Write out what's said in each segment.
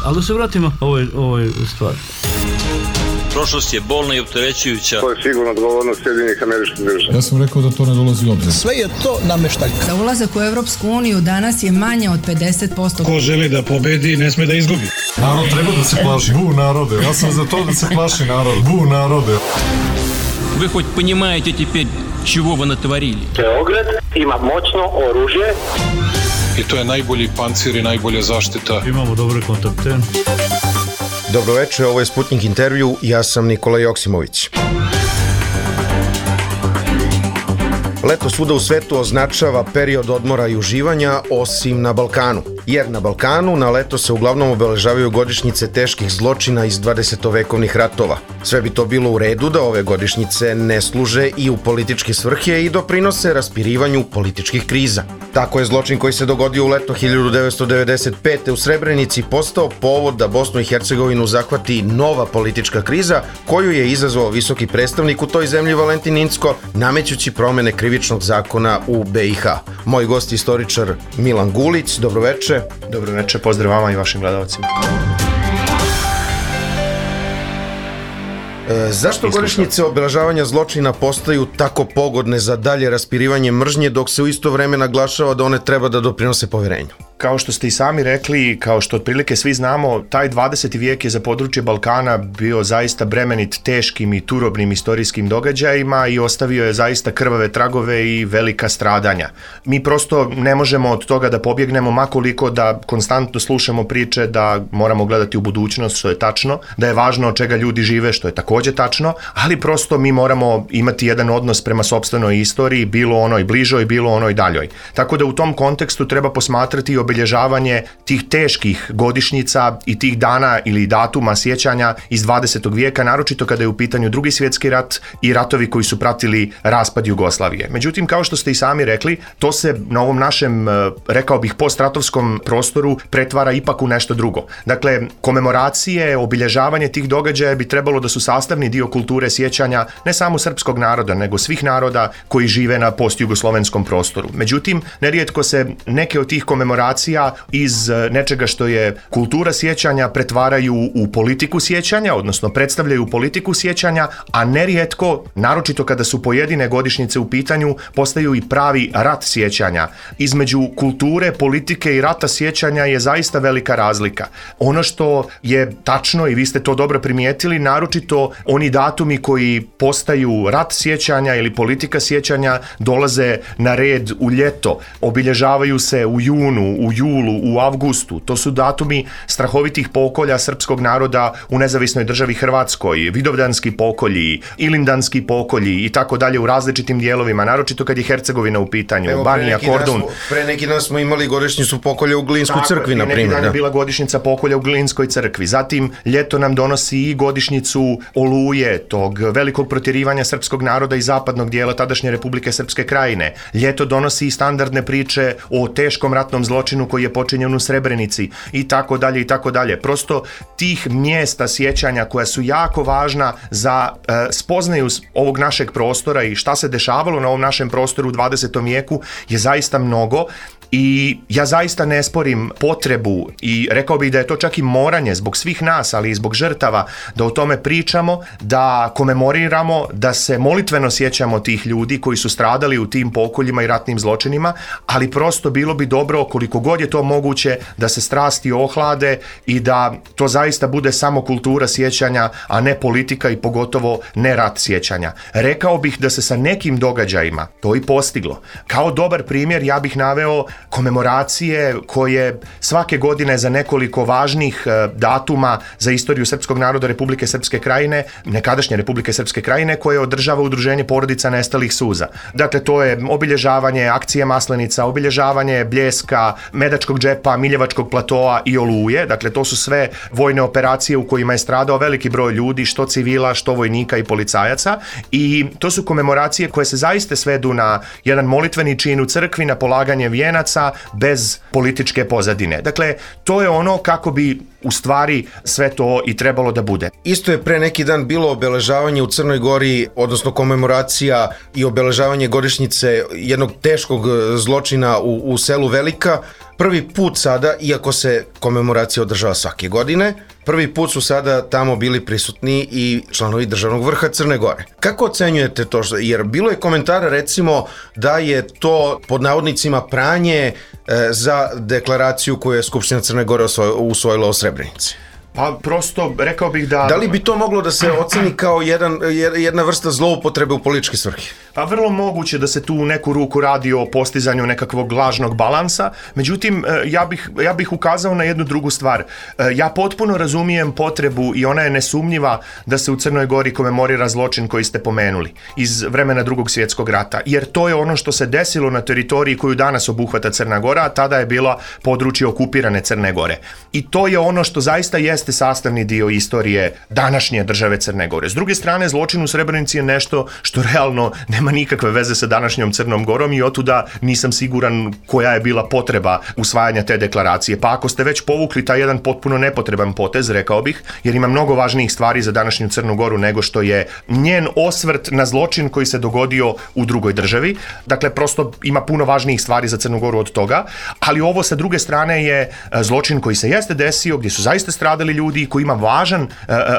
Ali da se vratimo ovoj stvari. Prošlost je bolna i opterećujuća. To je sigurno odgovornost Sjedinjenih Američkih Država. Ja sam rekao da to ne dolazi u obzir. Sve je to nameštaljka. Za ulazak u Evropsku uniju danas je manje od 50%. Ko želi da pobedi, ne sme da izgubi. Narod treba da se plaši. Bu narode. Ja sam za to da se plaši narod. Bu narode. Вы хоть понимаете теперь, чего вы натворили? Beograd ima moćno oružje. I to je najbolji pancir i najbolja zaštita. Imamo dobre kontakte. Dobroveče, ovo je Sputnik intervju, ja sam Nikola Joksimović. Leto svuda u svetu označava period odmora i uživanja, osim na Balkanu. Jer na Balkanu na leto se uglavnom obeležavaju godišnjice teških zločina iz 20-vekovnih ratova. Sve bi to bilo u redu da ove godišnjice ne služe i u političke svrhe i doprinose raspirivanju političkih kriza. Tako je zločin koji se dogodio u leto 1995. u Srebrenici postao povod da Bosnu i Hercegovinu zahvati nova politička kriza koju je izazvao visoki predstavnik u toj zemlji Valentin Incko, namećući promene krivičnog zakona u BiH. Moj gost je istoričar Milan Gulić, dobroveče. Dobroveče, pozdrav vama i vašim gledalcima. Zašto godišnjice obeležavanja zločina postaju tako pogodne za dalje raspirivanje mržnje dok se u isto vreme naglašava da one treba da doprinose poverenju? Kao što ste i sami rekli, kao što otprilike svi znamo, taj 20. vijek je za područje Balkana bio zaista bremenit teškim i turobnim istorijskim događajima i ostavio je zaista krvave tragove i velika stradanja. Mi prosto ne možemo od toga da pobjegnemo, makoliko da konstantno slušamo priče da moramo gledati u budućnost, što je tačno, da je važno od čega ljudi žive, što je također tačno, ali prosto mi moramo imati jedan odnos prema sopstvenoj istoriji, bilo onoj bližoj, bilo onoj daljoj. Tako da u tom kontekstu treba posmatrati i obilježavanje tih teških godišnjica i tih dana ili datuma sjećanja iz 20. vijeka, naročito kada je u pitanju Drugi svjetski rat i ratovi koji su pratili raspad Jugoslavije. Međutim, kao što ste i sami rekli, to se na ovom našem, rekao bih, postratovskom prostoru pretvara ipak u nešto drugo. Dakle, komemoracije, obilježavanje tih događaja bi trebalo da su sastavni dio kulture sjećanja ne samo srpskog naroda, nego svih naroda koji žive na postjugoslovenskom prostoru. Međutim, nerijetko se neke od tih komemoracija iz nečega što je kultura sjećanja pretvaraju u politiku sjećanja, odnosno predstavljaju politiku sjećanja, a nerijetko, naročito kada su pojedine godišnjice u pitanju, postaju i pravi rat sjećanja. Između kulture, politike i rata sjećanja je zaista velika razlika. Ono što je tačno, i vi ste to dobro primijetili, naročito oni datumi koji postaju rat sjećanja ili politika sjećanja dolaze na red u ljeto, obilježavaju se u junu, u julu, u avgustu. To su datumi strahovitih pokolja srpskog naroda u nezavisnoj državi Hrvatskoj, vidovdanski pokolji, ilindanski pokolji i tako dalje u različitim dijelovima, naročito kad je Hercegovina u pitanju, evo, Banija, Kordun. Pre neki dan smo imali godišnjicu pokolja u Glinskoj crkvi, na primjer. Neki dan je bila godišnjica pokolja u Glinskoj crkvi. Zatim, ljeto nam donosi i godišnjicu Oluje, tog velikog protjerivanja srpskog naroda iz zapadnog dijela tadašnje Republike Srpske Krajine. Ljeto donosi i standardne priče o teškom ratnom zločinu koji je počinjen u Srebrenici i tako dalje i tako dalje. Prosto tih mjesta sjećanja koja su jako važna za spoznaju ovog našeg prostora i šta se dešavalo na ovom našem prostoru u 20. vijeku je zaista mnogo. I ja zaista ne sporim potrebu i rekao bih da je to čak i moranje zbog svih nas, ali i zbog žrtava, da o tome pričamo, da komemoriramo, da se molitveno sjećamo tih ljudi koji su stradali u tim pokoljima i ratnim zločinima, ali prosto bilo bi dobro, koliko god je to moguće, da se strasti ohlade i da to zaista bude samo kultura sjećanja, a ne politika i pogotovo ne rat sjećanja. Rekao bih da se sa nekim događajima to i postiglo. Kao dobar primjer ja bih naveo komemoracije koje svake godine za nekoliko važnih datuma za istoriju srpskog naroda Republike Srpske Krajine, nekadašnje Republike Srpske Krajine, koje održava Udruženje porodica nestalih suza. Dakle, to je obilježavanje akcije Maslenica, obilježavanje Bljeska, Medačkog džepa, Miljevačkog platoa i Oluje. Dakle, to su sve vojne operacije u kojima je stradao veliki broj ljudi, što civila, što vojnika i policajaca. I to su komemoracije koje se zaista svedu na jedan molitveni čin u crkvi, na polaganje vijenaca, pojedinaca bez političke pozadine. Dakle, to je ono kako bi u stvari sve to i trebalo da bude. Isto je pre neki dan bilo obeležavanje u Crnoj Gori, odnosno komemoracija i obeležavanje godišnjice jednog teškog zločina u selu Velika. Prvi put sada, iako se komemoracija održava svake godine, prvi put su sada tamo bili prisutni i članovi državnog vrha Crne Gore. Kako ocenjujete to? Jer bilo je komentara recimo da je to pod navodnicima pranje za deklaraciju koju je Skupština Crne Gore usvojila o Srebrenici. Pa prosto rekao bih da... Da li bi to moglo da se oceni kao jedna vrsta zloupotrebe u političke svrhe? Pa vrlo moguće da se tu u neku ruku radi o postizanju nekakvog lažnog balansa, međutim ja bih ukazao na jednu drugu stvar. Ja potpuno razumijem potrebu i ona je nesumnjiva da se u Crnoj Gori komemorira zločin koji ste pomenuli iz vremena Drugog svjetskog rata, jer to je ono što se desilo na teritoriji koju danas obuhvata Crna Gora, a tada je bila područje okupirane Crne Gore. I to je ono što zaista jeste sastavni dio istorije današnje države Crne Gore. S druge strane, zločin u Srebrenici je nešto što realno nema nikakve veze sa današnjom Crnom Gorom i otuda nisam siguran koja je bila potreba usvajanja te deklaracije. Pa ako ste već povukli taj jedan potpuno nepotreban potez, rekao bih, jer ima mnogo važnijih stvari za današnju Crnu Goru nego što je njen osvrt na zločin koji se dogodio u drugoj državi. Dakle, prosto ima puno važnijih stvari za Crnu Goru od toga, ali ovo sa druge strane je zločin koji se jeste desio, gdje su zaista stradali ljudi, koji ima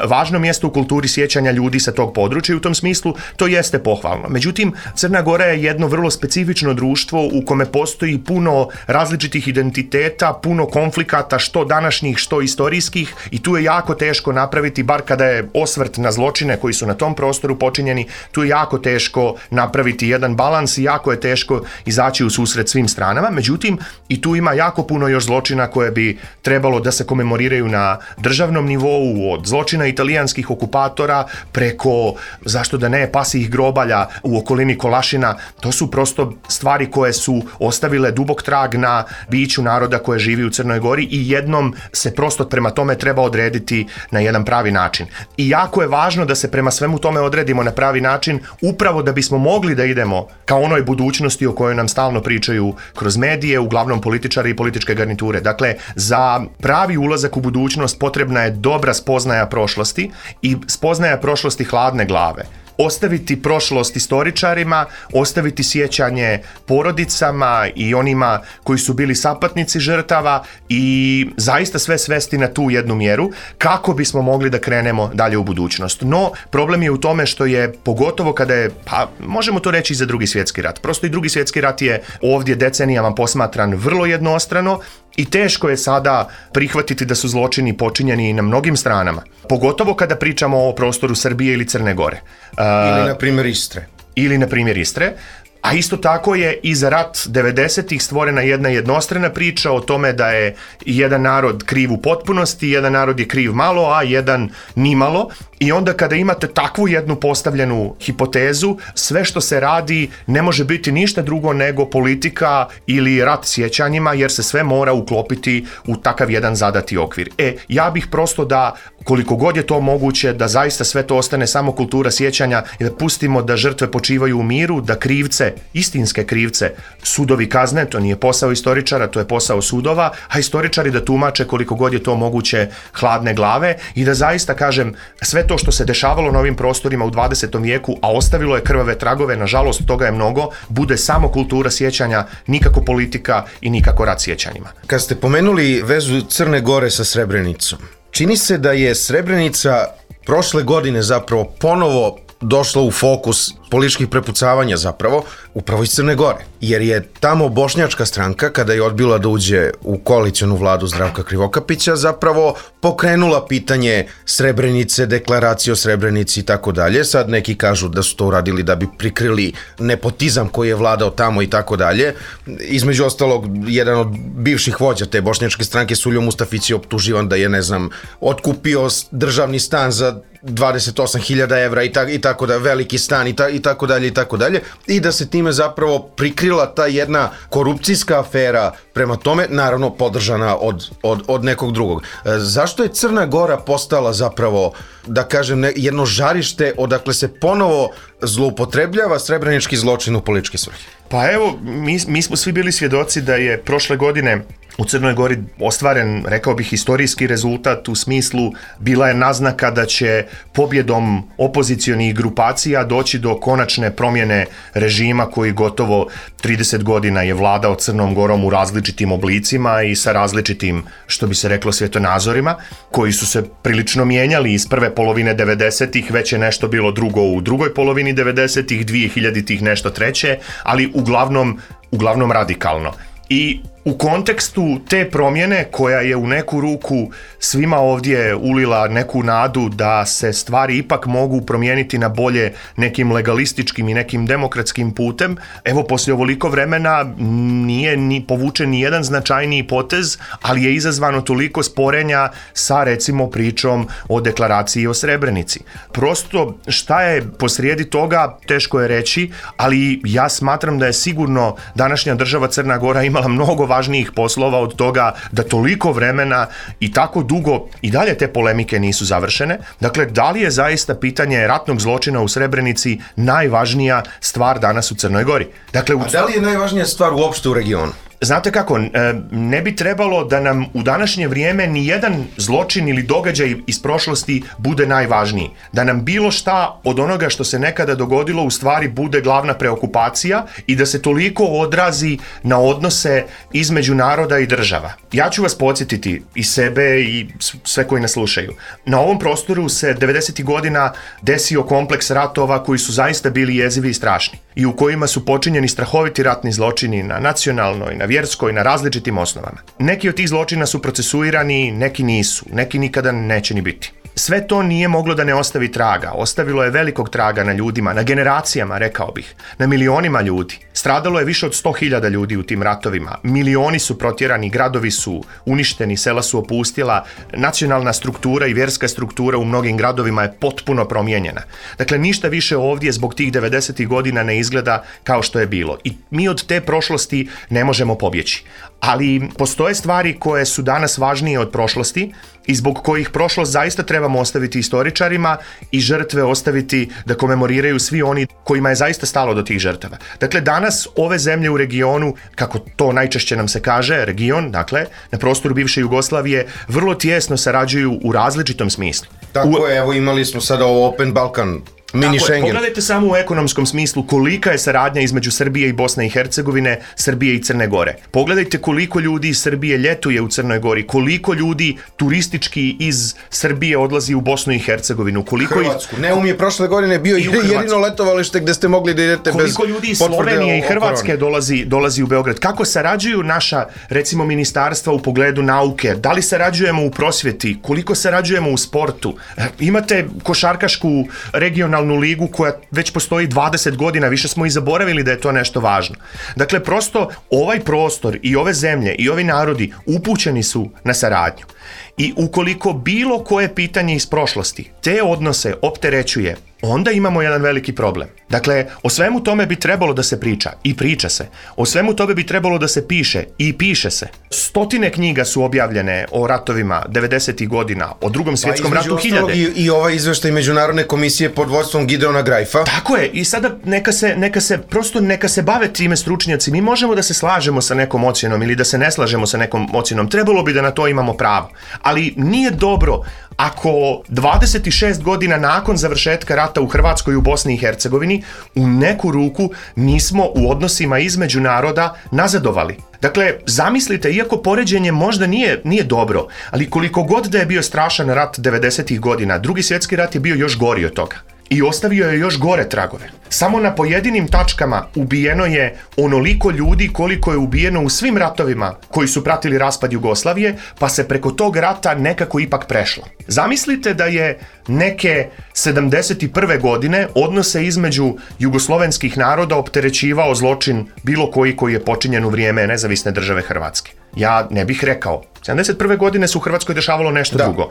važno mjesto u kulturi sjećanja ljudi sa tog područja i u tom smislu to jeste pohvalno. Međutim, Crna Gora je jedno vrlo specifično društvo u kome postoji puno različitih identiteta, puno konflikata, što današnjih, što istorijskih, i tu je jako teško napraviti, bar kada je osvrt na zločine koji su na tom prostoru počinjeni, tu je jako teško napraviti jedan balans i jako je teško izaći u susret svim stranama. Međutim, i tu ima jako puno još zločina koje bi trebalo da se komemoriraju na državnom nivou, od zločina italijanskih okupatora preko, zašto da ne, pasijih grobalja u okolini Kolašina. To su prosto stvari koje su ostavile dubok trag na biću naroda koje živi u Crnoj Gori i jednom se prosto prema tome treba odrediti na jedan pravi način. I jako je važno da se prema svemu tome odredimo na pravi način, upravo da bismo mogli da idemo ka onoj budućnosti o kojoj nam stalno pričaju kroz medije, uglavnom političari i političke garniture. Dakle, za pravi ulazak u budućnost potrebna je dobra spoznaja prošlosti i spoznaja prošlosti hladne glave. Ostaviti prošlost istoričarima, ostaviti sjećanje porodicama i onima koji su bili sapatnici žrtava i zaista sve svesti na tu jednu mjeru kako bismo mogli da krenemo dalje u budućnost. No, problem je u tome što je, pogotovo kada je, pa možemo to reći i za Drugi svjetski rat, prosto i Drugi svjetski rat je ovdje decenijama posmatran vrlo jednostrano i teško je sada prihvatiti da su zločini počinjeni na mnogim stranama. Pogotovo kada pričamo o prostoru Srbije ili Crne Gore. Ili na primjer Istre. A isto tako je i za rat 90-ih stvorena jedna jednostrana priča o tome da je jedan narod kriv u potpunosti, jedan narod je kriv malo, a jedan ni malo. I onda kada imate takvu jednu postavljenu hipotezu, sve što se radi ne može biti ništa drugo nego politika ili rat sjećanjima, jer se sve mora uklopiti u takav jedan zadati okvir. Ja bih prosto da, koliko god je to moguće, da zaista sve to ostane samo kultura sjećanja i da pustimo da žrtve počivaju u miru, da krivce, istinske krivce, sudovi kazne, to nije posao istoričara, to je posao sudova, a istoričari da tumače koliko god je to moguće hladne glave i da zaista, kažem, sve to što se dešavalo na ovim prostorima u 20. vijeku, a ostavilo je krvave tragove, nažalost toga je mnogo, bude samo kultura sjećanja, nikako politika i nikako rat sjećanjima. Kad ste pomenuli vezu Crne Gore sa Srebrenicom, čini se da je Srebrenica prošle godine zapravo ponovo došla u fokus političkih prepucavanja zapravo, upravo iz Crne Gore. Jer je tamo bošnjačka stranka, kada je odbila da uđe u koalicionu vladu Zdravka Krivokapića, zapravo pokrenula pitanje Srebrenice, deklaracije o Srebrenici i tako dalje. Sad neki kažu da su to uradili da bi prikrili nepotizam koji je vladao tamo i tako dalje. Između ostalog, jedan od bivših vođa te bošnjačke stranke, Suljo Mustafić, je optuživan da je, otkupio državni stan za 28.000 evra i tako da, veliki stan i i tako dalje i tako dalje, i da se time zapravo prikrila ta jedna korupcijska afera prema tome, naravno podržana od nekog drugog. Zašto je Crna Gora postala zapravo, da kažem, jedno žarište odakle se ponovo zloupotrebljava srebrenički zločin u političke svrhe? Pa evo, mi smo svi bili svjedoci da je prošle godine u Crnoj Gori ostvaren, rekao bih, historijski rezultat, u smislu bila je naznaka da će pobjedom opozicionih grupacija doći do konačne promjene režima koji gotovo 30 godina je vladao Crnom Gorom u različitim oblicima i sa različitim, što bi se reklo, svjetonazorima, koji su se prilično mijenjali iz prve polovine 90-ih, već je nešto bilo drugo u drugoj polovini 90-ih, 2000-ih nešto treće, ali uglavnom radikalno. I u kontekstu te promjene, koja je u neku ruku svima ovdje ulila neku nadu da se stvari ipak mogu promijeniti na bolje nekim legalističkim i nekim demokratskim putem, evo poslije ovoliko vremena nije ni povučen ni jedan značajniji potez, ali je izazvano toliko sporenja sa, recimo, pričom o deklaraciji o Srebrenici. Prosto šta je posrijedi toga teško je reći, ali ja smatram da je sigurno današnja država Crna Gora imala mnogo važnijih poslova od toga da toliko vremena i tako dugo i dalje te polemike nisu završene. Dakle, da li je zaista pitanje ratnog zločina u Srebrenici najvažnija stvar danas u Crnoj Gori? Dakle, a da li je najvažnija stvar uopšte u regionu? Znate kako, ne bi trebalo da nam u današnje vrijeme ni jedan zločin ili događaj iz prošlosti bude najvažniji. Da nam bilo šta od onoga što se nekada dogodilo u stvari bude glavna preokupacija i da se toliko odrazi na odnose između naroda i država. Ja ću vas podsjetiti, i sebe i sve koji nas slušaju. Na ovom prostoru se 90. godina desio kompleks ratova koji su zaista bili jezivi i strašni i u kojima su počinjeni strahoviti ratni zločini na nacionalnoj, na vjerskoj, na različitim osnovama. Neki od tih zločina su procesuirani, neki nisu, neki nikada neće ni biti. Sve to nije moglo da ne ostavi traga. Ostavilo je velikog traga na ljudima, na generacijama, rekao bih, na milionima ljudi. Stradalo je više od 100.000 ljudi u tim ratovima. Milioni su protjerani, gradovi su uništeni, sela su opustila, nacionalna struktura i vjerska struktura u mnogim gradovima je potpuno promijenjena. Dakle, ništa više ovdje zbog tih 90. godina ne izgleda kao što je bilo. I mi od te prošlosti ne možemo pobjeći. Ali postoje stvari koje su danas važnije od prošlosti i zbog kojih prošlost zaista trebamo ostaviti istoričarima i žrtve ostaviti da komemoriraju svi oni kojima je zaista stalo do tih žrtava. Dakle, danas ove zemlje u regionu, kako to najčešće nam se kaže, region, dakle, na prostoru bivše Jugoslavije, vrlo tijesno sarađuju u različitom smislu. Tako je, evo imali smo sada ovo Open Balkan, mini Schengen. Pogledajte samo u ekonomskom smislu kolika je saradnja između Srbije i Bosne i Hercegovine, Srbije i Crne Gore. Pogledajte koliko ljudi iz Srbije ljetuje u Crnoj Gori, koliko ljudi turistički iz Srbije odlazi u Bosnu i Hercegovinu, Hrvatsku. Neum je prošle godine bio jedino letovalište gde ste mogli da idete bez potvrde. Koliko ljudi iz Slovenije i Hrvatske dolazi u Beograd. Kako sarađuju naša, recimo, ministarstva u pogledu nauke? Da li sarađujemo u prosvjeti? Koliko sarađujemo u sportu? Imate košarkašku regionalnu ligu koja već postoji 20 godina, više smo i zaboravili da je to nešto važno. Dakle, prosto ovaj prostor i ove zemlje i ovi narodi upućeni su na saradnju. I ukoliko bilo koje pitanje iz prošlosti te odnose opterećuje, onda imamo jedan veliki problem. Dakle, o svemu tome bi trebalo da se priča i priča se. O svemu tome bi trebalo da se piše i piše se. 100 knjiga su objavljene o ratovima 90. godina, o Drugom svjetskom ratu 1000. I ovaj izveštaj Međunarodne komisije pod vodstvom Gideona Grajfa. Tako je, i sada neka se bave time stručnjaci. Mi možemo da se slažemo sa nekom ocjenom ili da se ne slažemo sa nekom ocjenom. Trebalo bi da na to imamo pravo. Ali nije dobro ako 26 godina nakon završetka rata u Hrvatskoj i u Bosni i Hercegovini u neku ruku nismo u odnosima između naroda nazadovali. Dakle, zamislite, iako poređenje možda nije dobro, ali koliko god da je bio strašan rat 90. godina, Drugi svjetski rat je bio još gori od toga. I ostavio je još gore tragove. Samo na pojedinim tačkama ubijeno je onoliko ljudi koliko je ubijeno u svim ratovima koji su pratili raspad Jugoslavije, pa se preko tog rata nekako ipak prešlo. Zamislite da je neke 71. godine odnose između jugoslovenskih naroda opterećivao zločin bilo koji je počinjen u vrijeme Nezavisne države Hrvatske. Ja ne bih rekao. 71. godine se u Hrvatskoj dešavalo nešto drugo.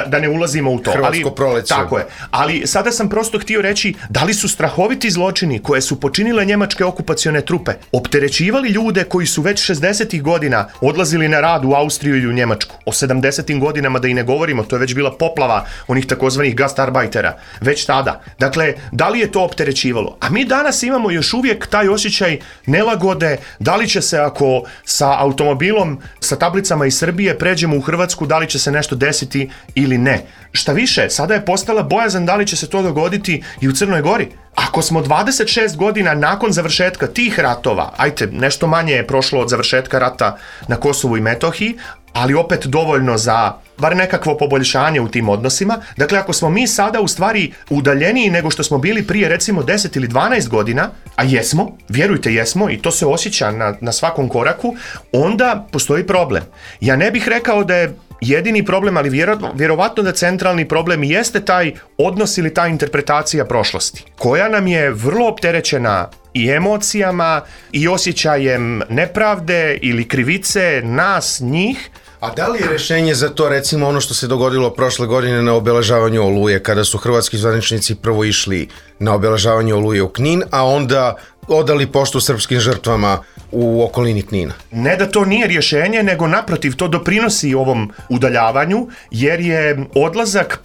Da ne ulazimo u to. Hrvatsko proleće. Tako je. Ali sada sam prosto htio reći da li su strahoviti zločini koje su počinile njemačke okupacione trupe opterećivali ljude koji su već 60. godina odlazili na rad u Austriju ili u Njemačku. O 70. godinama da i ne govorimo, to je već bila poplava onih takozvanih gastarbeitera. Već tada. Dakle, da li je to opterećivalo? A mi danas imamo još uvijek taj osjećaj nelagode, da li će se ako sa automobilom, sa tablicama iz Srbije pređemo u Hrvatsku, da li će se nešto desiti ili ne. Šta više, sada je postala bojazan da li će se to dogoditi i u Crnoj Gori. Ako smo 26 godina nakon završetka tih ratova, nešto manje je prošlo od završetka rata na Kosovu i Metohiji, ali opet dovoljno za bar nekakvo poboljšanje u tim odnosima. Dakle, ako smo mi sada u stvari udaljeniji nego što smo bili prije recimo 10 ili 12 godina, a jesmo, vjerujte jesmo i to se osjeća na svakom koraku, onda postoji problem. Ja ne bih rekao da je jedini problem, ali vjerovatno da centralni problem jeste taj odnos ili ta interpretacija prošlosti, koja nam je vrlo opterećena i emocijama i osjećajem nepravde ili krivice nas, njih. A da li je rješenje za to recimo ono što se dogodilo prošle godine na obeležavanju Oluje, kada su hrvatski zvaničnici prvo išli na obeležavanje Oluje u Knin, a onda odali poštu srpskim žrtvama u okolini Knina? Ne da to nije rješenje, nego naprotiv, to doprinosi ovom udaljavanju, jer je odlazak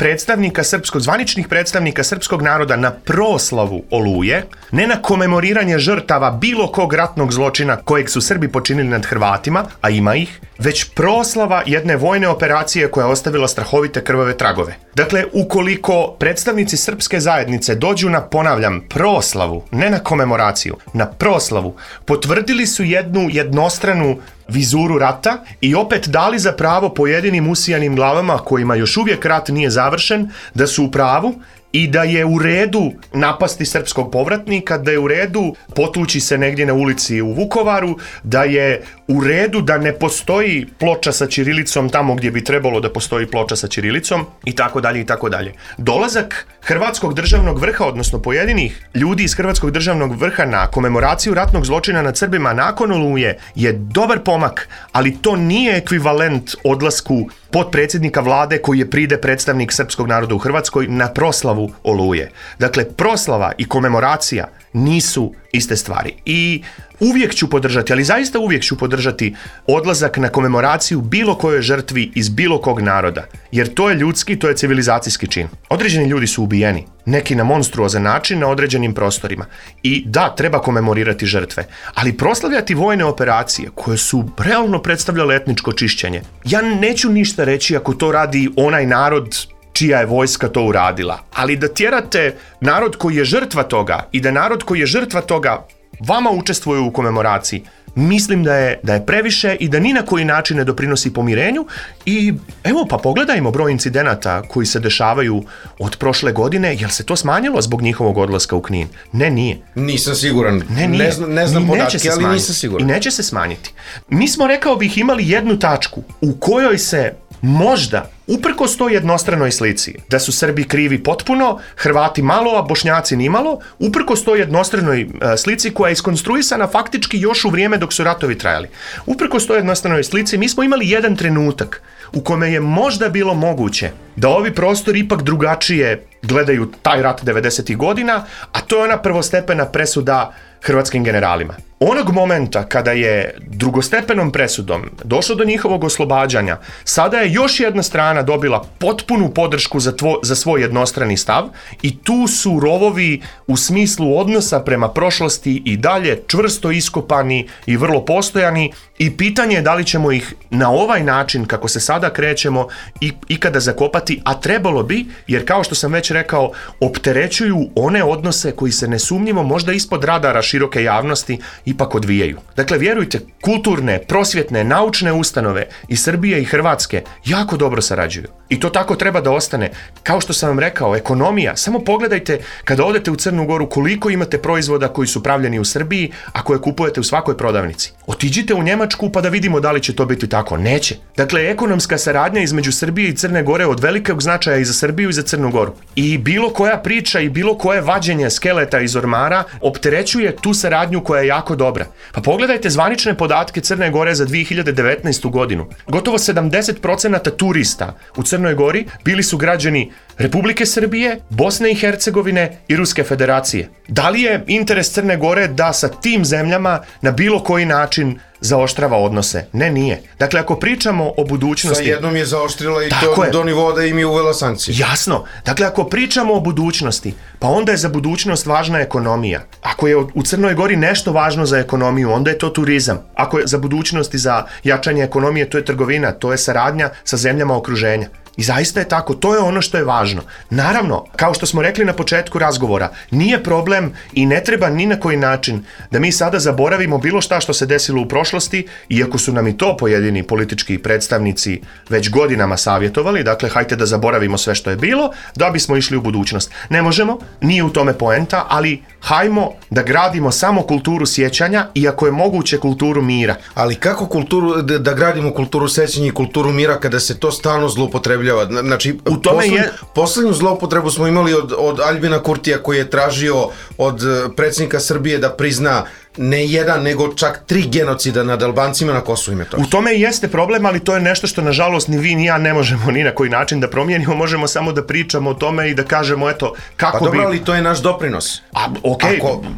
zvaničnih predstavnika srpskog naroda na proslavu Oluje, ne na komemoriranje žrtava bilo kog ratnog zločina kojeg su Srbi počinili nad Hrvatima, a ima ih, već proslava jedne vojne operacije koja je ostavila strahovite krvave tragove. Dakle, ukoliko predstavnici srpske zajednice dođu na, ponavljam, proslavu, ne na komemoraciju, na proslavu, potvrdili su jednu jednostranu vizuru rata i opet dali za pravo pojedinim usijanim glavama kojima još uvijek rat nije završen, da su u pravu i da je u redu napasti srpskog povratnika, da je u redu potući se negdje na ulici u Vukovaru, da je u redu da ne postoji ploča sa ćirilicom tamo gdje bi trebalo da postoji ploča sa ćirilicom i tako dalje i tako dalje. Dolazak Hrvatskog državnog vrha, odnosno pojedinih ljudi iz Hrvatskog državnog vrha na komemoraciju ratnog zločina nad Srbima nakon Oluje je dobar pomak, ali to nije ekvivalent odlasku potpredsjednika vlade koji je pride predstavnik srpskog naroda u Hrvatskoj na proslavu Oluje. Dakle, proslava i komemoracija nisu iste stvari. I uvijek ću podržati, ali zaista uvijek ću podržati odlazak na komemoraciju bilo kojoj žrtvi iz bilo kog naroda. Jer to je ljudski, to je civilizacijski čin. Određeni ljudi su ubijeni, neki na monstruozan način na određenim prostorima. I da, treba komemorirati žrtve, ali proslavljati vojne operacije koje su realno predstavljale etničko čišćenje. Ja neću ništa reći ako to radi onaj narod čija je vojska to uradila, ali da tjerate narod koji je žrtva toga i da narod koji je žrtva toga vama učestvuje u komemoraciji, mislim da je previše i da ni na koji način ne doprinosi pomirenju. I evo, pa pogledajmo broj incidenata koji se dešavaju od prošle godine. Jel se to smanjilo zbog njihovog odlaska u Knin? Ne, nije. Nisam siguran. Ne znam podatke, ali nisam siguran. I neće se smanjiti. Mi smo, rekao bih, imali jednu tačku u kojoj se možda, uprkos toj jednostranoj slici, da su Srbi krivi potpuno, Hrvati malo, a Bošnjaci nimalo, uprkos toj jednostranoj slici koja je iskonstruisana faktički još u vrijeme dok su ratovi trajali. Uprkos toj jednostranoj slici mi smo imali jedan trenutak u kome je možda bilo moguće da ovi prostori ipak drugačije gledaju taj rat 90. godina, a to je ona prvostepena presuda hrvatskim generalima. Onog momenta kada je drugostepenom presudom došlo do njihovog oslobađanja, sada je još jedna strana dobila potpunu podršku za svoj jednostrani stav i tu su rovovi u smislu odnosa prema prošlosti i dalje čvrsto iskopani i vrlo postojani i pitanje je da li ćemo ih na ovaj način kako se sada krećemo ikada zakopati, a trebalo bi, jer kao što sam već rekao, opterećuju one odnose koji se nesumnjivo možda ispod radara široke javnosti ipak odvijaju. Dakle, vjerujte, kulturne, prosvjetne, naučne ustanove iz Srbije i Hrvatske jako dobro sarađuju. I to tako treba da ostane. Kao što sam vam rekao, ekonomija, samo pogledajte kada odete u Crnu Goru koliko imate proizvoda koji su pravljeni u Srbiji, a koje kupujete u svakoj prodavnici. Otiđite u Njemačku pa da vidimo da li će to biti tako. Neće. Dakle, ekonomska saradnja između Srbije i Crne Gore od velikog značaja i za Srbiju i za Crnu Goru. I bilo koja priča i bilo koje vađenje skeleta iz ormara opterećuje tu saradnju koja je jako dobra. Pa pogledajte zvanične podatke Crne Gore za 2019. godinu. Gotovo 70% turista u Crnoj Gori bili su građani Republike Srbije, Bosne i Hercegovine i Ruske federacije. Da li je interes Crne Gore da sa tim zemljama na bilo koji način zaoštrava odnose? Ne, nije. Dakle, ako pričamo o budućnosti... Sa jednom je zaoštrila i to do nivoa da im je uvela sankcije. Jasno. Dakle, ako pričamo o budućnosti, pa onda je za budućnost važna ekonomija. Ako je u Crnoj Gori nešto važno za ekonomiju, onda je to turizam. Ako je za budućnost i za jačanje ekonomije, to je trgovina, to je saradnja sa zemljama okruženja. I zaista je tako, to je ono što je važno. Naravno, kao što smo rekli na početku razgovora, nije problem i ne treba ni na koji način da mi sada zaboravimo bilo šta što se desilo u prošlosti, iako su nam i to pojedini politički predstavnici već godinama savjetovali, dakle, hajte da zaboravimo sve što je bilo, da bismo išli u budućnost. Ne možemo, nije u tome poenta, ali hajmo da gradimo samo kulturu sjećanja i ako je moguće kulturu mira. Ali kako da gradimo kulturu sjećanja i kulturu mira kada se to stalno zloupotrebljava? Znači, poslednju zloupotrebu smo imali od Aljbina Kurtija koji je tražio od predsjednika Srbije da prizna ne jedan, nego čak 3 genocida nad Albancima na Kosovu i Metohiji. U tome i jeste problem, ali to je nešto što nažalost ni vi ni ja ne možemo ni na koji način da promijenimo, možemo samo da pričamo o tome i da kažemo eto kako bi... Pa dobro, ali to je naš doprinos.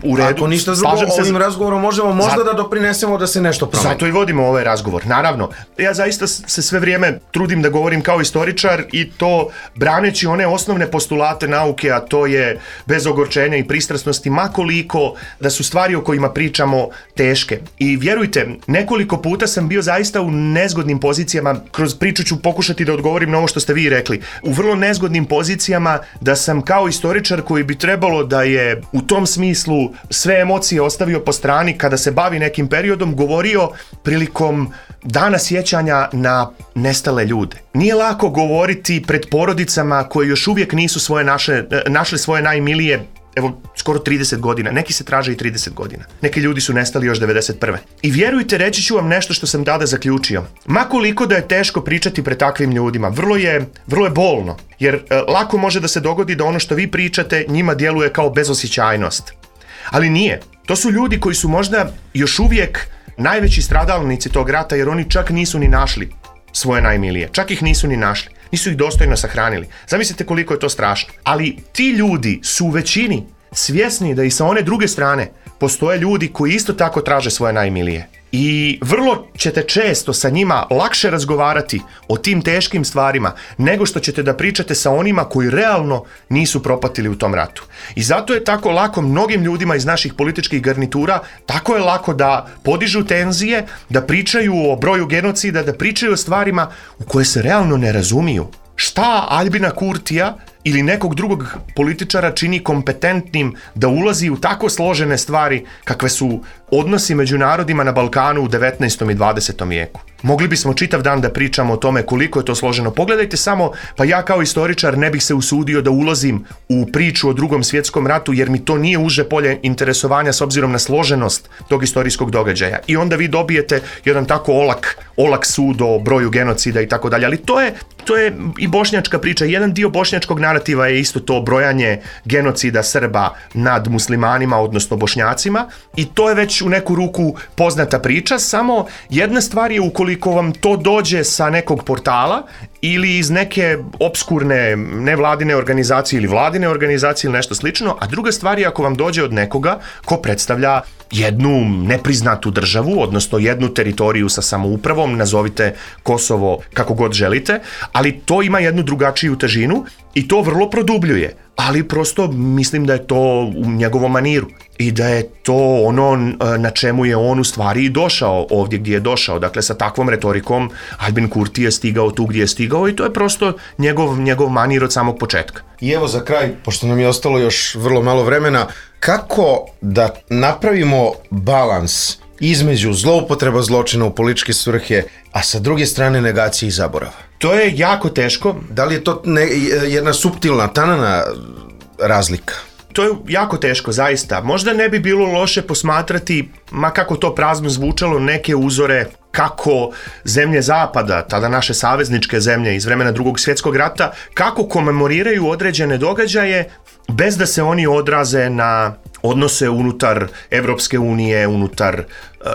U redu. Ako ništa drugo, ovim razgovorom možemo možda da doprinesemo da se nešto promeni. Zato i vodimo ovaj razgovor, naravno. Ja zaista se sve vrijeme trudim da govorim kao istoričar i to braneći one osnovne postulate nauke, a to je bez ogorčenja i pristrasnosti, makoliko da su stvari o kojima pričamo teške. I vjerujte, nekoliko puta sam bio zaista u nezgodnim pozicijama, kroz priču ću pokušati da odgovorim na ovo što ste vi rekli, u vrlo nezgodnim pozicijama da sam kao istoričar koji bi trebalo da je u tom smislu sve emocije ostavio po strani kada se bavi nekim periodom, govorio prilikom dana sjećanja na nestale ljude. Nije lako govoriti pred porodicama koje još uvijek nisu našli svoje najmilije, evo, skoro 30 godina, neki se traže i 30 godina. Neki ljudi su nestali još 91. I vjerujte, reći ću vam nešto što sam tada zaključio. Ma koliko da je teško pričati pred takvim ljudima, vrlo je bolno, jer lako može da se dogodi da ono što vi pričate njima djeluje kao bezosjećajnost. Ali nije. To su ljudi koji su možda još uvijek najveći stradalnici tog rata, jer oni čak nisu ni našli svoje najmilije. Čak ih nisu ni našli. Nisu ih dostojno sahranili. Zamislite koliko je to strašno. Ali ti ljudi su u većini svjesni da i sa one druge strane postoje ljudi koji isto tako traže svoje najmilije. I vrlo ćete često sa njima lakše razgovarati o tim teškim stvarima nego što ćete da pričate sa onima koji realno nisu propatili u tom ratu. I zato je tako lako mnogim ljudima iz naših političkih garnitura, tako je lako da podižu tenzije, da pričaju o broju genocida, da pričaju o stvarima u koje se realno ne razumiju. Šta Aljbina Kurtija ili nekog drugog političara čini kompetentnim da ulazi u tako složene stvari kakve su odnosi među narodima na Balkanu u 19. i 20. vijeku. Mogli bismo čitav dan da pričamo o tome koliko je to složeno. Pogledajte samo, pa ja kao istoričar ne bih se usudio da ulazim u priču o Drugom svjetskom ratu jer mi to nije uže polje interesovanja s obzirom na složenost tog istorijskog događaja. I onda vi dobijete jedan tako olak sud o broju genocida i tako dalje. Ali to je i bošnjačka priča. Jedan dio bošnjačkog narativa je isto to brojanje genocida Srba nad muslimanima, odnosno Bošnjacima, i to je već u neku ruku poznata priča, samo jedna stvar je ukoliko vam to dođe sa nekog portala ili iz neke opskurne nevladine organizacije ili vladine organizacije ili nešto slično, a druga stvar je ako vam dođe od nekoga ko predstavlja jednu nepriznatu državu, odnosno jednu teritoriju sa samoupravom, nazovite Kosovo kako god želite, ali to ima jednu drugačiju težinu i to vrlo produbljuje, ali prosto mislim da je to u njegovom maniru i da je to ono na čemu je on u stvari i došao ovdje gdje je došao. Dakle, sa takvom retorikom Aljbin Kurti je stigao tu gdje je stigao i to je prosto njegov manir od samog početka. I evo za kraj, pošto nam je ostalo još vrlo malo vremena, kako da napravimo balans između zloupotreba zločina u političke svrhe, a sa druge strane negacije i zaborava? To je jako teško. Da li je to jedna suptilna, tanana razlika? To je jako teško, zaista. Možda ne bi bilo loše posmatrati, ma kako to prazno zvučalo, neke uzore kako zemlje zapada, tada naše savezničke zemlje iz vremena Drugog svjetskog rata, kako komemoriraju određene događaje bez da se oni odraze na odnose unutar Evropske unije, unutar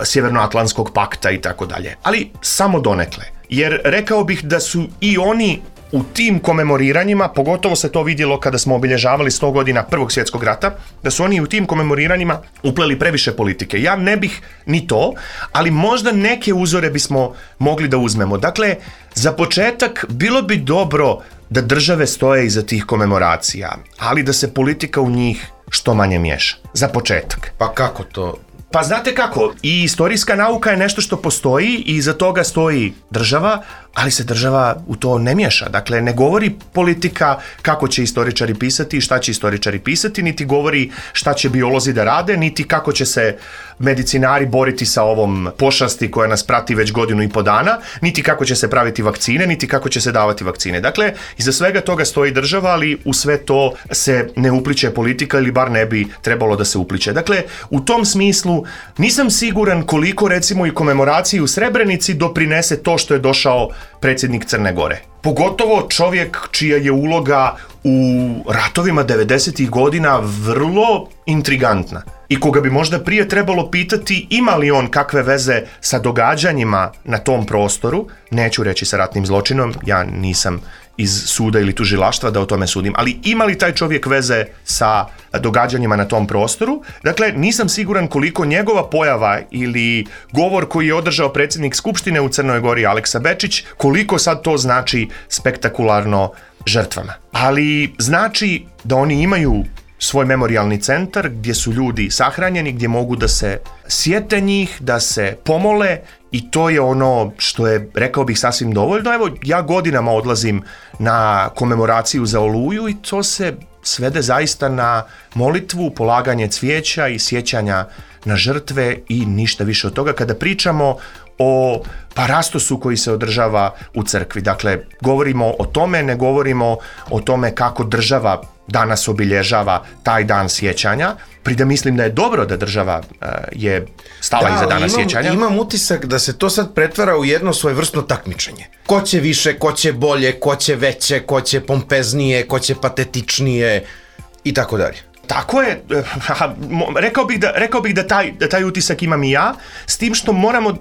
Sjevernoatlantskog pakta i tako dalje. Ali samo donekle. Jer rekao bih da su i oni u tim komemoriranjima, pogotovo se to vidjelo kada smo obilježavali 100 godina Prvog svjetskog rata, da su oni u tim komemoriranjima upleli previše politike. Ja ne bih ni to, ali možda neke uzore bismo mogli da uzmemo. Dakle, za početak bilo bi dobro da države stoje iza tih komemoracija, ali da se politika u njih što manje miješa. Za početak. Pa kako to? Pa znate kako, i istorijska nauka je nešto što postoji i iza toga stoji država, ali se država u to ne miješa. Dakle, ne govori politika kako će istoričari pisati i šta će istoričari pisati, niti govori šta će biolozi da rade, niti kako će se medicinari boriti sa ovom pošasti koja nas prati već 1.5 godina, niti kako će se praviti vakcine, niti kako će se davati vakcine. Dakle, iza svega toga stoji država, ali u sve to se ne upliče politika ili bar ne bi trebalo da se upliče. Dakle, u tom smislu nisam siguran koliko recimo i komemoraciji u Srebrenici doprinese to što je došao predsjednik Crne Gore. Pogotovo čovjek čija je uloga u ratovima 90-ih godina vrlo intrigantna i koga bi možda prije trebalo pitati ima li on kakve veze sa događanjima na tom prostoru, neću reći sa ratnim zločinom, ja nisam iz suda ili tužilaštva da o tome sudim, ali ima li taj čovjek veze sa događanjima na tom prostoru? Dakle, nisam siguran koliko njegova pojava ili govor koji je održao predsjednik Skupštine u Crnoj Gori Aleksa Bečić, koliko sad to znači spektakularno žrtvama. Ali znači da oni imaju svoj memorijalni centar gdje su ljudi sahranjeni, gdje mogu da se sjete njih, da se pomole i to je ono što je, rekao bih, sasvim dovoljno. Evo, ja godinama odlazim na komemoraciju za Oluju i to se svede zaista na molitvu, polaganje cvijeća i sjećanja na žrtve i ništa više od toga. Kada pričamo o parastosu koji se održava u crkvi. Dakle, govorimo o tome, ne govorimo o tome kako država danas obilježava taj dan sjećanja. Prida mislim da je dobro da država je stala iza dana sjećanja. Imam utisak da se to sad pretvara u jedno svojevrsno takmičenje. Ko će više, ko će bolje, ko će veće, ko će pompeznije, ko će patetičnije i tako dalje. Tako je, rekao bih da taj utisak imam i ja, s tim što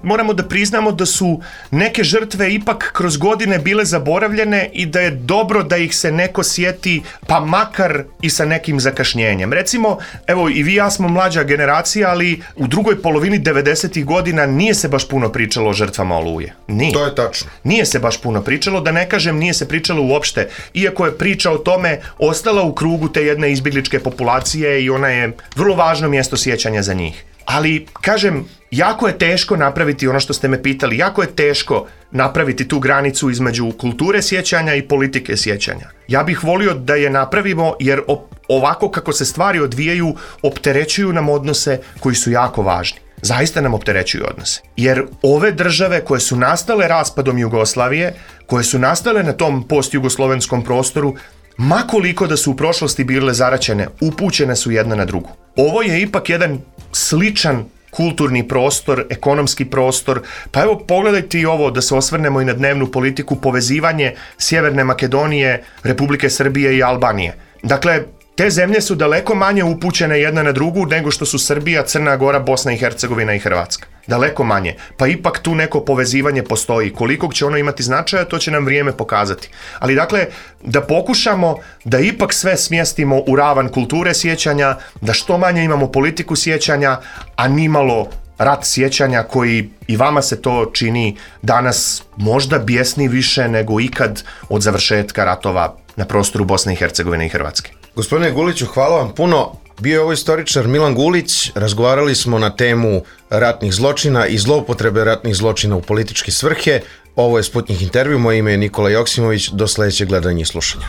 moramo da priznamo da su neke žrtve ipak kroz godine bile zaboravljene i da je dobro da ih se neko sjeti, pa makar i sa nekim zakašnjenjem. Recimo, evo i vi i ja smo mlađa generacija, ali u drugoj polovini 90-ih godina nije se baš puno pričalo o žrtvama Oluje. Nije. To je tačno. Nije se baš puno pričalo, da ne kažem nije se pričalo uopšte, iako je priča o tome ostala u krugu te jedne izbjegličke populacije i ona je vrlo važno mjesto sjećanja za njih. Ali, kažem, jako je teško napraviti ono što ste me pitali, jako je teško napraviti tu granicu između kulture sjećanja i politike sjećanja. Ja bih volio da je napravimo jer ovako kako se stvari odvijaju opterećuju nam odnose koji su jako važni. Zaista nam opterećuju odnose. Jer ove države koje su nastale raspadom Jugoslavije, koje su nastale na tom postjugoslovenskom prostoru, ma koliko da su u prošlosti bile zaraćene, upućene su jedna na drugu. Ovo je ipak jedan sličan kulturni prostor, ekonomski prostor, pa evo pogledajte i ovo da se osvrnemo i na dnevnu politiku, povezivanje Sjeverne Makedonije, Republike Srbije i Albanije. Dakle, te zemlje su daleko manje upućene jedna na drugu nego što su Srbija, Crna Gora, Bosna i Hercegovina i Hrvatska. Daleko manje. Pa ipak tu neko povezivanje postoji. Kolikog će ono imati značaja, to će nam vrijeme pokazati. Ali dakle, da pokušamo da ipak sve smjestimo u ravan kulture sjećanja, da što manje imamo politiku sjećanja, a nimalo rat sjećanja koji i vama se to čini danas možda bijesni više nego ikad od završetka ratova na prostoru Bosne i Hercegovine i Hrvatske. Gospodine Guliću, hvala vam puno. Bio je ovo istoričar Milan Gulić, razgovarali smo na temu ratnih zločina i zloupotrebe ratnih zločina u političke svrhe. Ovo je Sputnik intervju, moje ime je Nikola Joksimović, do sljedećeg gledanja i slušanja.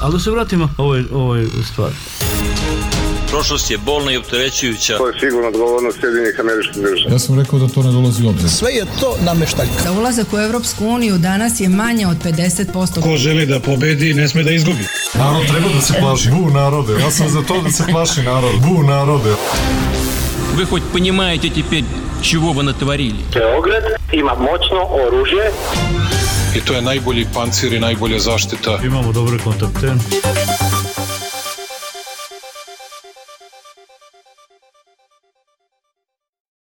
Ali da se vratimo ovoj stvari. Prošlost je bolna i opterećujuća. To je sigurno odgovornost Sjedinjenih Američkih Država. Ja sam rekao da to ne dolazi u obzir. Sve je to nameštaljka. Za ulazak u Europsku uniju danas je manje od 50%. Ko želi da pobedi, ne sme da izgubi. Narod treba da se plaši. Bu narode, ja sam za to da se plaši narod. Bu narode. Вы хоть понимаете теперь, чего вы натворили? Beograd ima moćno oružje. I to je najbolji pancir i najbolja zaštita. Imamo dobre kontakte.